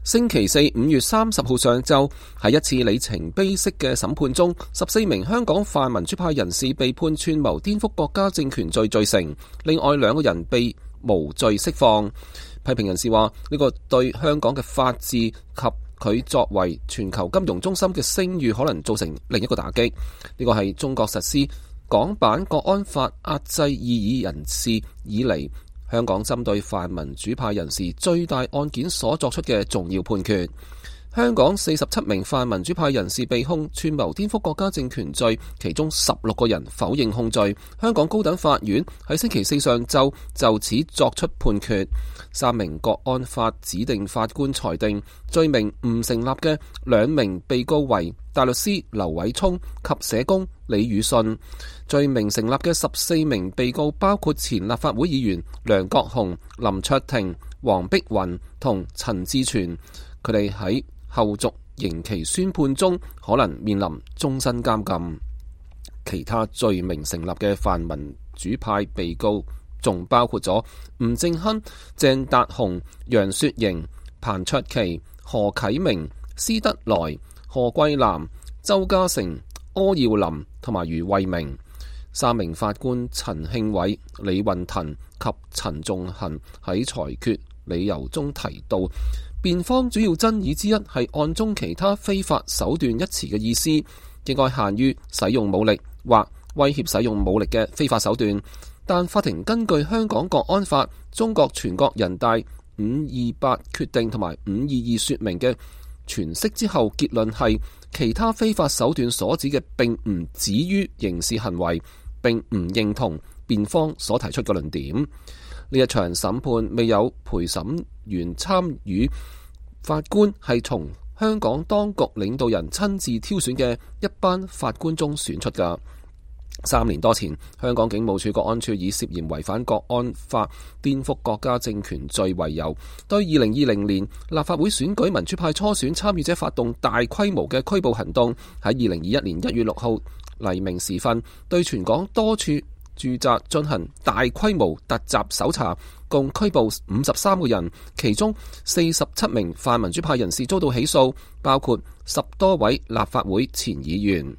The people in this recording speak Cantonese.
星期四5月30號上晝，喺一次里程碑式嘅審判中，14名香港泛民主派人士被判串謀顛覆國家政權罪罪成，另外2個人被無罪釋放。批評人士話，呢個對香港嘅法治及佢作為全球金融中心嘅聲譽可能造成另一個打擊。呢個係中國實施港版國安法壓制異議人士以嚟，香港針對泛民主派人士最大案件所作出嘅重要判決。香港47名泛民主派人士被控串謀顛覆國家政權罪，其中16個人否認控罪。香港高等法院喺星期四上晝就此作出判決。3名國安法指定法官裁定，罪名唔成立嘅2名被告為大律師劉偉聰及社工李宇信；罪名成立嘅14名被告包括前立法會議員梁國雄、林卓廷、黃碧雲同陳志全，佢哋喺後續刑期宣判中可能面臨終身監禁。其他罪名成立嘅泛民主派被告仲包括咗吳正亨、鄭達鴻、楊雪盈、彭卓棋、何啟明、施德來、何桂藍、周家成、柯耀林同埋余慧明。3名法官陳慶偉、李運騰及陳仲衡喺裁決理由中提到，辯方主要爭議之一係案中其他非法手段一詞嘅意思，應該限於使用武力或威脅使用武力嘅非法手段。但法庭根據香港國安法、中國全國人大528決定同埋522說明嘅詮釋之後，結論係其他非法手段所指嘅並唔止於刑事行為，並唔認同辯方所提出嘅論點。呢一場審判未有陪審員參與，法官係從香港當局領導人親自挑選嘅一班法官中選出㗎。3年多前，香港警務處國安處以涉嫌違反國安法、顛覆國家政權罪為由，對2020年立法會選舉民主派初選參與者發動大規模嘅拘捕行動。喺2021年1月6號黎明時分，對全港多處住宅進行大規模突襲搜查，共拘捕53個人，其中47名泛民主派人士遭到起訴，包括10多位立法會前議員。